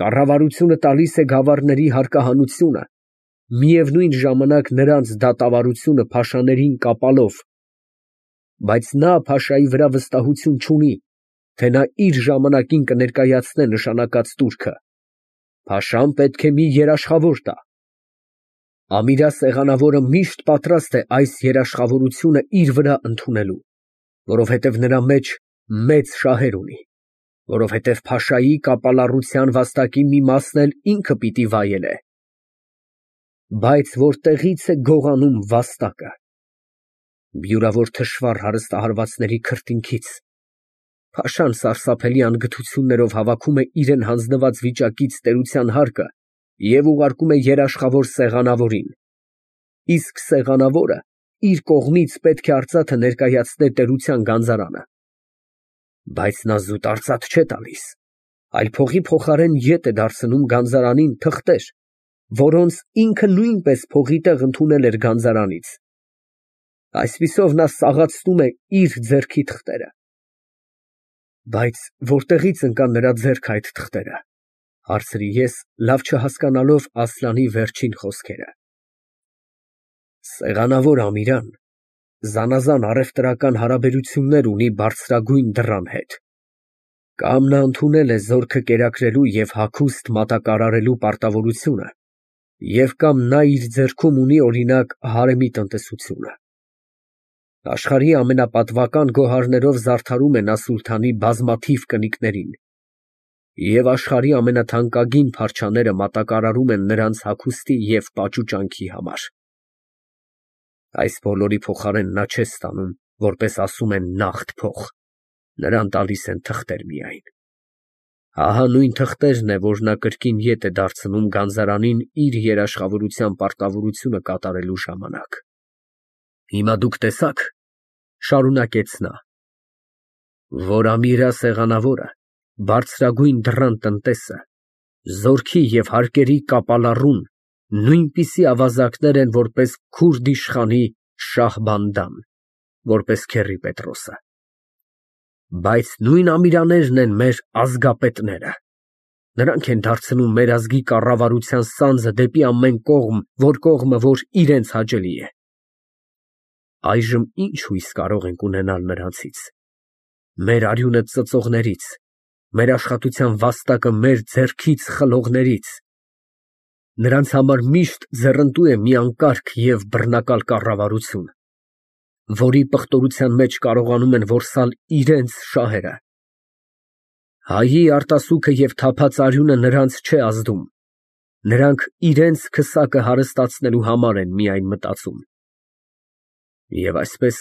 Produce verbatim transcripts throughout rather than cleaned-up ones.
Կառավարությունը տալիս է գավառների հարկահանությունը, միևնույն ժամանակ նրանց դատավարությունը փաշաներին կապալով, բայց նա փաշայի վրա վստահություն չունի, թե նա իր ժամանակին կներկայացնե նշանակած տուրքը, փաշան պետք է մի երաշխավոր տա։ Ամիրա սեղանավորը միշտ պատրաստ է այս երաշխավորությունը իր վրա ընդունելու, որովհետև նրա մեջ մեծ շահեր ունի, որովհետև փաշայի կապալառության վաստակի մի մասն էլ ինքը պիտի վայելե։ Բայց որտեղի՞ց է գողանում վաստակը։ Բյուրավոր թշվառ հարստահարվածների քրտինքից։ Փաշան սարսափելի անգթություններով հավաքում է իրան հանձնված վիճակից տերության հարկը և ուղարկում է երաշխավոր սեղանավորին, իսկ սեղանավորը իր կողմից պետք է արծաթը ներկայացնե տերության գանձարանը։ Բայց նա զուտ արծաթ չէ տալիս, այլ փողի փոխարեն ետ է դարձնում գանձարանին թղթեր, որոնց ինքը նույնպես փողի տեղ ընդունել էր գանձարանից։ Այսպիսով նա սաղացնում է իր ձեռքի թղթերը։ Բայց որտեղի՞ց ընկան նրա ձեռքը այդ թղթերը, հարցրի ես, լավ չհասկանալով Ասլանի վերջին խոսքերը։ Սեղանավոր Ամիրան զանազան առևտրական հարաբերություններ ունի բարձրագույն դռան հետ։ Կամ նա ընդունել է զորքը կերակրելու և հագուստ մատակարարելու պարտավորությունը, և կամ նա իր ձեռքում ունի, օրինակ, հարեմի տնտեսությունը։ Աշխարհի ամենապատվական գոհարներով զարդարում է նա սուլթանի բազմաթիվ կնիկներին, և աշխարհի ամենաթանկագին փարչաները մատակարարում են նրանց հագուստի և պաճուճանքի համար։ Այս բոլորի փոխարեն նա չէ ստանում, որպես ասում են, նաղդ փող, նրան տալիս են թղթեր միայն։ Ահա նույն թղթերն է, որ նա կրկին ետ է դարձնում գանձարանին իր երաշխավորության պարտավորությունը կատարելու ժամանակ։ Հիմա դուք տեսա՞ք, շարունակեց նա, որ Ամիրա սեղանավորը, բարձրագույն դռան տնտեսը, զորքի և հարկերի կապալառուն նույնպիսի ավազակներ են, որպես քուրդ իշխանի Շահբանդան, որպես Քեռի Պետրոսը։ Բայց նույն Ամիրաներն են մեր ազգապետները։ Նրանք են դարձնում մեր ազգի կառավարության սանձը դեպի ամեն կողմ, որ կողմը որ իրենց հաճելի է։ Այժմ ի՞նչ հույս կարող ենք ունենալ նրանցից։ Մեր արյունը ծծողներից, մեր աշխատության վաստակը մեր ձեռքից խլողներից։ Նրանց համար միշտ ձեռնտու է մի անկարգ և բռնակալ կառավարություն, որի պղտորության մեջ կարողանում են որսալ իրենց շահերը։ Հայի արտասուքը և թափած արյունը նրանց չէ ազդում, նրանք իրենց քսակը հարստացնելու համար են միայն մտածում։ Եվ այսպես,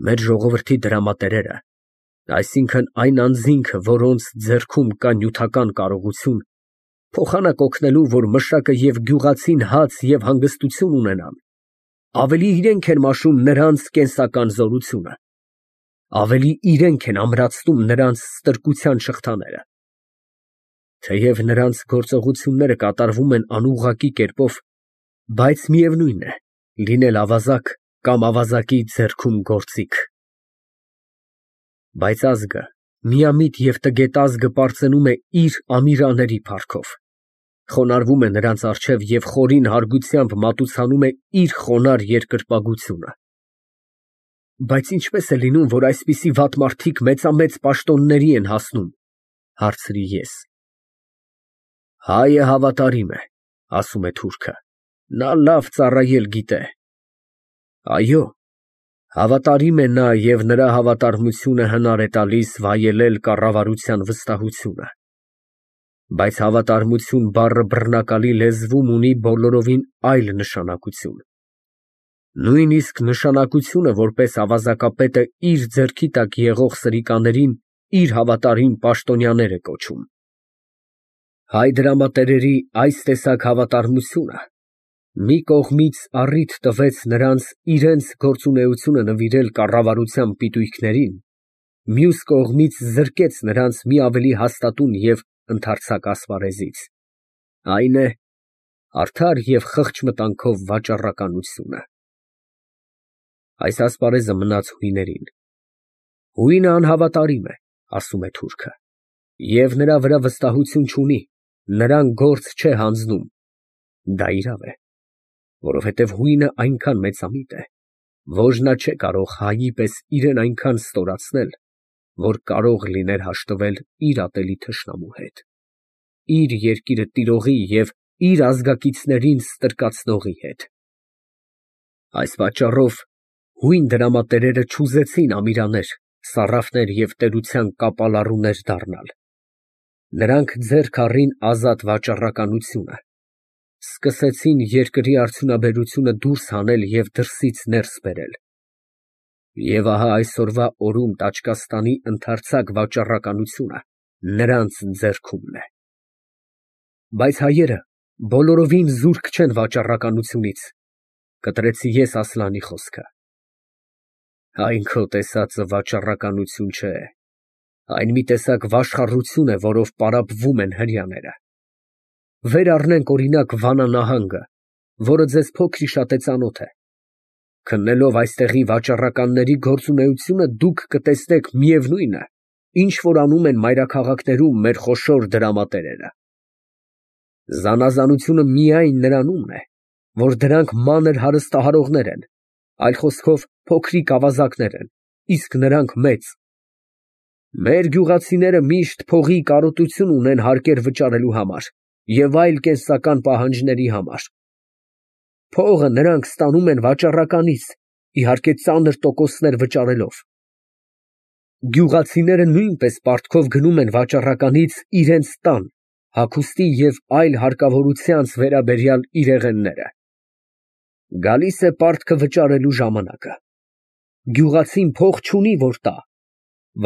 մեր ժողովրդի դրամատերերը, այսինքն այն անձինքը, որոնց ձեռքում կա նյութական կարողություն, փոխանակ օգնելու, որ մշակը և գյուղացին հաց և հանգստություն ունենան, ավելի իրենք են մաշում նրանց կենսական զորությունը, ավելի իրենք են ամրացնում նրանց ստրկության շղթաները։ Թեև նրանց գործողությունները կատարվում են անուղղակի կերպով, բայց միևնույն է, լինել ավազակ կամ ավազակի ձեռքում գործիք։ Բայց ազգը, միամիտ և տգետ ազգը պարծենում է իր ամիրաների փառքով, խոնարհվում է նրանց առջև և խորին հարգությամբ մատուցանում է իր խոնարհ երկրպագությունը։ Բայց ինչպե՞ս է լինում, որ այսպիսի վատ մարդիկ մեծամեծ պաշտոնների են հասնում, հարցրի ես։ Հայը հավատարիմ է, ասում է թուրքը, նա լավ ծառայել գիտե։ Այո, հավատարիմ է նա և նրա հավատարմությունը հնար է տալիս վայելել կառավարության վստահությունը։ Բայց հավատարմություն բառը բռնակալի լեզվում ունի բոլորովին այլ նշանակություն։ Նույնիսկ նշանակությունը, որպես ավազակապետը իր ձեռքի տակ եղող սրիկաներին իր հավատարիմ պաշտոնյաներ է կոչում։ Հայ դրամատերերի այս տեսակ հավատարմությունը մի կողմից առիթ տվեց նրանց իրենց գործունեությունը նվիրել կառավարության պիտույքներին, մյուս կողմից զրկեց նրանց մի ավելի հաստատուն և ընդարձակ ասպարեզից, այն է, արդար և խղճ մտանքով վաճառականությունը։ Այս ասպարեզը մնաց հույներին։ Հույնը անհավատարիմ է, ասում է թուրքը, և նրա վրա վստահություն չունի, նրան գործ չէ հանձնում։ Դա իրավ է, որովհետև հույնը այնքան մեծամիտ է, որ նա չէ կարող հայի պես իրեն այնքան ստորացնել, որ կարող լիներ հաշտվել իր ատելի թշնամու հետ, իր երկիրը տիրողի և իր ազգակիցներին ստրկացնողի հետ։ Այս պատճառով հույն դրամատերերը չուզեցին ամիրաներ, սառափներ և տերության կապալառուներ դառնալ։ Նրանք ձեռք առին ազատ վաճառականությունը, սկսեցին երկրի արդյունաբերությունը դուրս հանել և դրսից ներս բերել։ Եվ ահա այսօրվա օրում Տաճկաստանի ընդարձակ վաճառականությունը նրանց ձեռքումն է։ Բայց հայերը բոլորովին զուրկ չեն վաճառականությունից, կտրեցի ես Ասլանի խոսքը։ Այն քո տեսածը վաճառականություն չէ, այն մի տեսակ վաշխառություն է, որով պարապվում են հրեաները։ Վեր առնենք օրինակ Վանա նահանգը, որը ձեզ փոքր-ի-շատ է ծանոթ է։ Քննելով այստեղի վաճառականների գործունեությունը, դուք կտեսնեք միևնույնը, ինչ որ անում են մայրաքաղաքներում մեր խոշոր դրամատերերը։ Զանազանությունը միայն նրանումն է, որ դրանք մանր հարստահարողներ են, այլ խոսքով փոքրիկ ավազակներ են, իսկ նրանք մեծ։ Մեր գյուղացիները միշտ փողի կարոտություն ունեն հարկեր վճարելու համար և այլ կենսական պահանջների համար։ Փողը նրանք ստանում են վաճառականից, իհարկե ծանր տոկոսներ վճարելով։ Գյուղացիները նույնպես պարտքով գնում են վաճառականից իրենց տան, հագուստի և այլ հարկավորությանց վերաբերյալ իրեղենները։ Գալիս է պարտքը վճարելու ժամանակը։ Գյուղացին փող չունի, որ տա։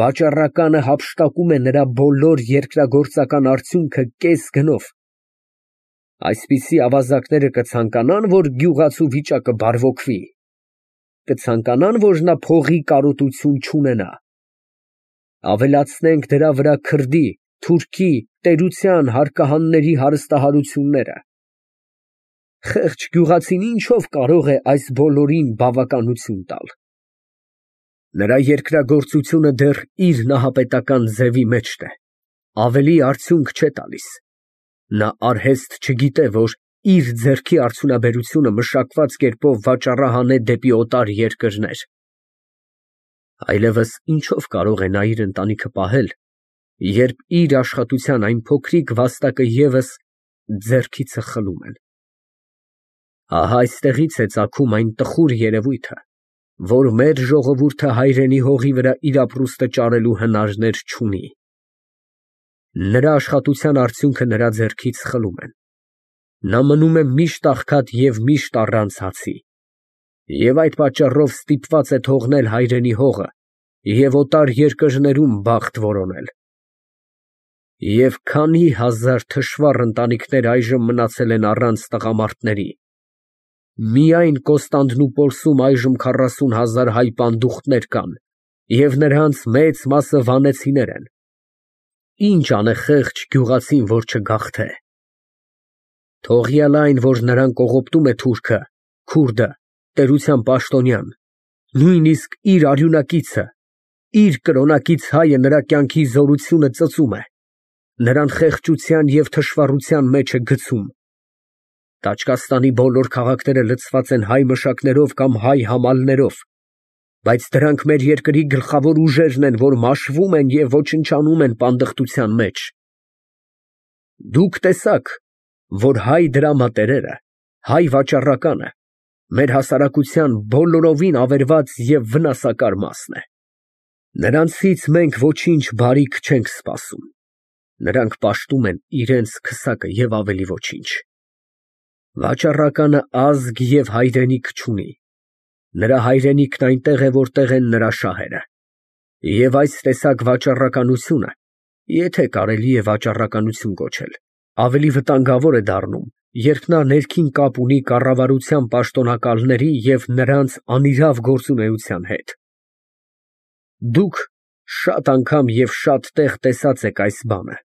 Վաճառականը հափշտակում է նրա բոլոր երկրագործական արդյունքը կես գնով։ Այսպիսի ավազակները կցանկանա՞ն, որ գյուղացու վիճակը բարվոքվի։ Կցանկանա՞ն, որ նա փողի կարոտություն չունենա։ Ավելացնենք դրա վրա քրդի, թուրքի, տերության հարկահանների հարստահարությունները։ Խեղճ գյուղացին ինչով կարող է այս բոլորին բավականություն տալ։ Նրա երկրագործությունը դեռ իր նահապետական ձևի մեջն է, ավելի արդյունք չէ տալիս։ Նա արհեստ չգիտե, որ իր ձեռքի արդյունաբերությունը մշակված կերպով վաճառահան է դեպի օտար երկրներ։ Այլևս ինչով կարող է նա իր ընտանիքը պահել, երբ իր աշխատության այն փոքրիկ վաստակը ևս ձեռքիցը խլում են։ Ահա այստեղից է ծագում այն տխուր երևույթը, որ մեր ժողովուրդը հայրենի հողի վրա իր ապրուստը ճարելու հնարներ չունի։ Նրա աշխատության արդյունքը նրա ձեռքից խլում են։ Նա մնում է միշտ աղքատ և միշտ առանց հացի։ Եվ այդ պատճառով ստիպված է թողնել հայրենի հողը և օտար երկրներում բախտ որոնել։ Եվ քանի հազար թշվառ ընտանիքներ այժմ մնացել են առանց տղամարդների։ Միայն Կոստանդնուպոլսում այժմ քառասուն հազար հայ պանդուխտներ կան, և նրանց մեծ մասը վանեցիներ են։ Ինչ անե խեղճ գյուղացին, որ չգաղթե։ Թողյալ այն, որ նրան կողոպտում է թուրքը, քուրդը, տերության պաշտոնյան, նույնիսկ իր արյունակիցը, իր կրոնակից հայը նրա կյանքի զորությունը ծծում է, նրան խեղճության և թշվառության մեջ է գցում։ Տաճկաստանի բոլոր քաղաքները լցված են հայ մշակներով կամ հայ համալներով, բայց դրանք մեր երկրի գլխավոր ուժերն են, որ մաշվում են և ոչնչանում են պանդխտության մեջ։ Դուք տեսաք, որ հայ դրամատերերը, հայ վաճառականը մեր հասարակության բոլորովին ավերված և վնասակար մասն է։ Նրանցից մենք ոչինչ բարիք չենք սպասում։ Նրանք պաշտում են իրենց քսակը և ավելի ոչինչ։ Վաճառականը ազգ և հայրենիք չունի։ Նրա հայրենիքն այնտեղ է, որտեղ են նրա շահերը։ Եվ այս տեսակ վաճառականությունը, եթե կարելի է վաճառականություն կոչել, ավելի վտանգավոր է դառնում, երբ նա ներքին կապ ունի կառավարության պաշտոնակալների և նրանց անիրավ գործունեության հետ։ Դուք շատ անգամ և շատ տեղ տեսած եք այս բանը։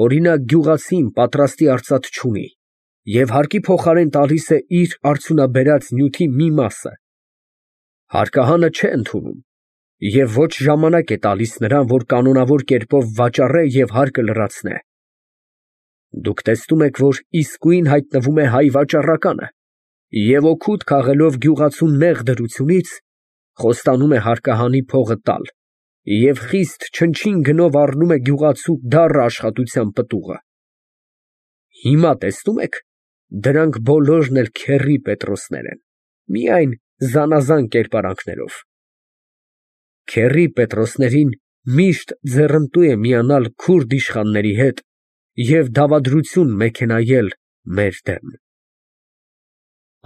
Օրինակ, գյուղացին պատրաստի արծաթ չունի և հարկի փոխարեն տալիս է իր արդյունաբերած նյութի մի մասը։ Հարկահանը չէ ընդունում և ոչ ժամանակ է տալիս նրան, որ կանոնավոր կերպով վաճառե և հարկը լրացնե։ Դուք տեսնում եք, որ իսկույն հայտնվում է հայ վաճառականը և օգուտ քաղելով գյուղացու նեղ դրությունից, խոստանում է հարկահանի փողը տալ և խիստ չնչին գնով առնում է գյուղացու դառը աշխատության պտուղը։ Հիմա տեսնո՞ւմ եք, դրանք բոլորն էլ քեռի Պետրոսներ են, միայն զանազան կերպարանքներով։ Քեռի Պետրոսներին միշտ ձեռնտու է միանալ քուրդ իշխանների հետ և դավադրություն մեքենայել մեր դեմ։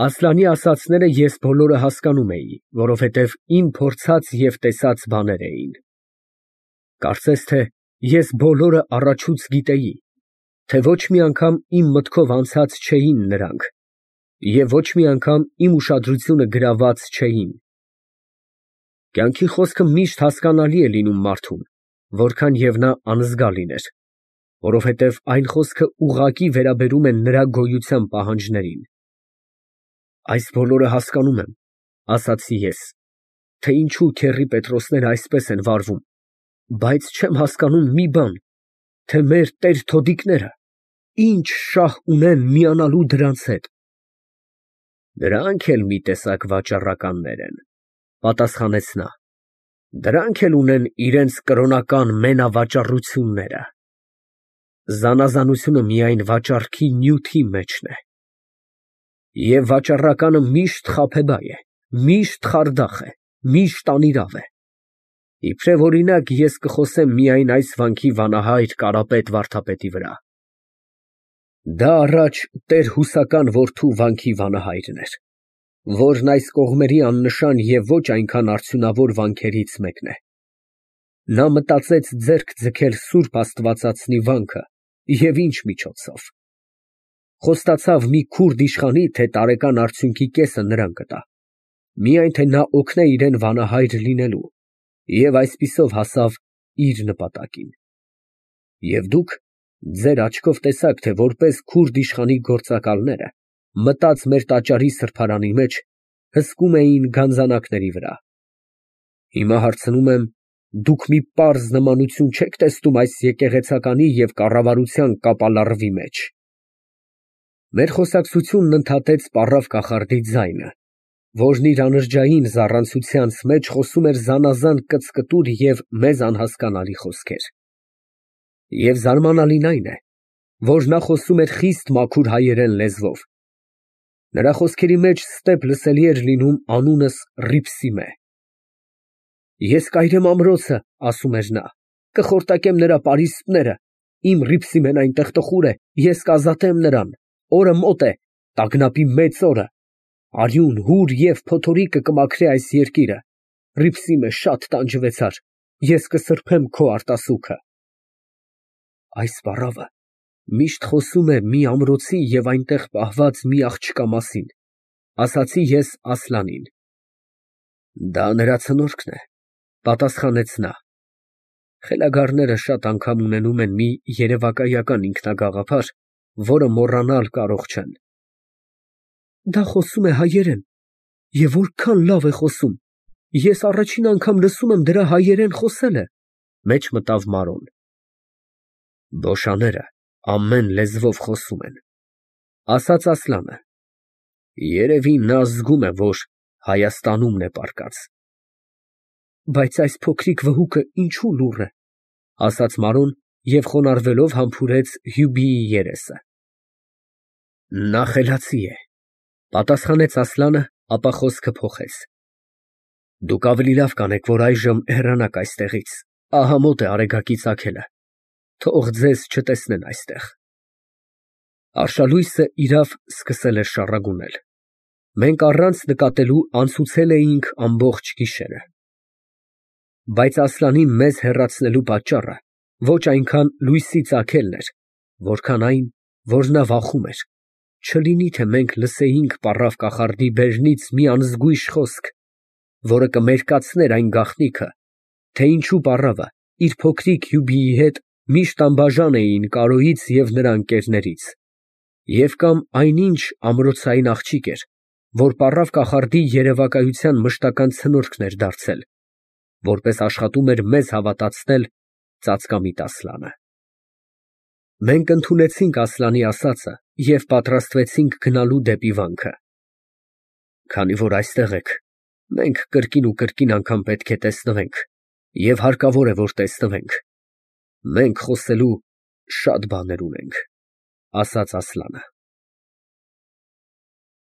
Ասլանի ասածները ես բոլորը հասկանում էի, որովհետև իմ փորձած և տեսած բաներ էին։ Կարծես թե ես բոլորը առաջուց գիտեի, թե ոչ մի անգամ իմ մտքով անցած չէին նրանք և ոչ մի անգամ իմ ուշադրությունը գրաված չէին։ Կյանքի խոսքը միշտ հասկանալի է լինում մարդուն, որքան և նա անզգա լիներ, որովհետև այն խոսքը ուղղակի վերաբերում է նրա գոյության պահանջներին։ Այս բոլորը հասկանում եմ, ասացի ես, թե ինչու քեռի Պետրոսները այսպես են վարվում, բայց չեմ հասկանում մի բան, թե մեր տեր֊թոդիկները ինչ շահ ունեն միանալու դրանց հետ։ Դրանք էլ մի տեսակ վաճառականներ են, պատասխանեց նա, դրանք էլ ունեն իրանց կրոնական մենավաճառությունները։ Զանազանությունը միայն վաճառքի նյութի մեջն է։ Եվ վաճառականը միշտ խաբեբայ է, միշտ խարդախ է, միշտ անիրավ է։ Իբրև օրինակ ես կխոսեմ միայն այս վանքի վանահայր Կարապետ վարդապետի վրա։ Դա առաջ տեր֊հուսական որդու վանքի վանահայրն էր, որն այս կողմերի աննշան և ոչ այնքան արդյունավոր վանքերից մեկն է։ Նա մտածեց ձեռք ձգել սուրբ աստվածածնի վանքը և ինչ միջոցով։ Խոստացավ մի քուրդ իշխանի, թե տարեկան արդյունքի կեսը նրան կտա, միայն թե նա օգնե իրան վանահայր լինելու, և այսպիսով հասավ իր նպատակին։ Եվ դուք ձեր աչքով տեսաք, թե որպես քուրդ իշխանի գործակալները, մտած մեր տաճարի սրբարանի մեջ, հսկում էին գանձանակների վրա։ Հիմա հարցնում եմ, դուք մի պարզ նմանություն չե՞ք տեսնում այս եկեղեցականի և կառավարության կապալառվի մեջ։ Մեր խոսակցությունն ընդհատեց պառավ կախարդի ձայնը, որն իր անրջային զառանցությանց մեջ խոսում էր զանազան կծկտուր և մեզ անհասկանալի խոսքեր։ Եվ զարմանալին այն է, որ նա խոսում էր խիստ մաքուր հայերեն լեզվով։ Նրա խոսքերի մեջ ստեպ լսելի էր լինում անունս Ռիփսիմե։ Ես կայրեմ ամրոցը, ասում էր նա, կխորտակեմ նրա պարիսպները, իմ Ռիփսիմեն այնտեղ տխուր է, ես կազատեմ նրան, օրը մոտ է, տագնապի մեծ օրը, արյուն, հուր և փոթորիկը կմաքրե այս երկիրը, Ռիփսիմե, շատ տանջվեցար, ես կսրբեմ քո արտասուքը։ Այս պառավը միշտ խոսում է մի ամրոցի և այնտեղ պահված մի աղջկա մասին, ասացի ես Ասլանին։ Դա նրա ցնորքն է, պատասխանեց նա։ Խելագարները շատ անգամ ունենում են մի երևակայական ինքնագաղափար, որը մոռանալ կարող չեն։ Դա խոսում է հայերեն, և որքան լավ է խոսում, ես առաջին անգամ լսում եմ դրա հայերեն խոսելը, մեջ մտավ Մարոն։ Բոշաները ամեն լեզվով խոսում են, ասաց Ասլանը։ Երևի նա զգում է, որ Հայաստանումն է պառկած։ Բայց այս փոքրիկ վհուկը ինչու լուռ է, ասաց Մարոն և խոնարհվելով համբուրեց Հյուբիի երեսը։ Նա խելացի է, պատասխանեց Ասլանը, ապա խոսքը փոխեց։ Դուք ավելի լավ կանեք, որ այժմ հեռանաք այստեղից, ահա մոտ է Արեգակի ծագելը, թող ձեզ չտեսնեն այստեղ։ Արշալույսը, իրավ, սկսել էր շառագունել։ Մենք առանց նկատելու անցուցել էինք ամբողջ գիշերը։ Բայց Ասլանին մեզ հեռացնելու պատճառը ոչ այնքան լույսի ծագելն էր, որքան այն, որ նա վախում էր, չլինի թե մենք լսեինք պառավ կախարդի բերնից մի անզգույշ խոսք, որը կմերկացներ այն գաղտնիքը, թե ինչու պառավը իր փոքրիկ Հյուբիի հետ միշտ անբաժան էին Կարոյից և նրա ընկերներից, և կամ այնինչ ամրոցային աղջիկ էր, որ պառավ կախարդի երևակայության մշտական ցնորքն էր դարձել, որպես աշխատում էր մեզ հավատացնել ծածկամիտ Ասլանը։ Մենք ընդունեցինք Ասլանի ասածը և պատրաստվեցինք գնալու դեպի վանքը։ Քանի որ այստեղ եք, մենք կրկին ու կրկին անգամ պետք է տեսնվենք և հարկավոր է, որ տեսնվենք, մենք խոսելու շատ բաներ ունենք, ֊ ասաց Ասլանը։